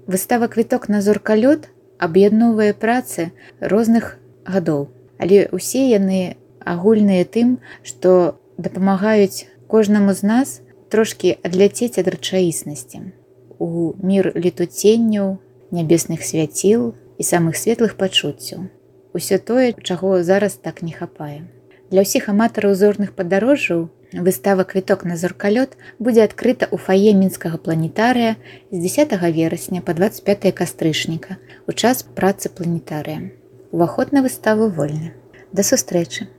Выстава «Квіток на зоркалёт» аб'ядноўвае працы розных гадоў, але ўсе яны агульныя тым, што дапамагаюць кожнаму з нас трошкі адляцець ад рэчаіснасці у мір летуценняў, нябесных свяціл і самых светлых пачуццяў. Усё тое, чаго зараз так не хапае. Для ўсіх аматараў зорных падарожжаў выстава «Квіток на зоркалёт» будзе адкрыта ў фае мінскага планетарыя з 10 верасня па 25 кастрычніка у час працы планетарыя. Уваход на выставу вольны. Да сустрэчы!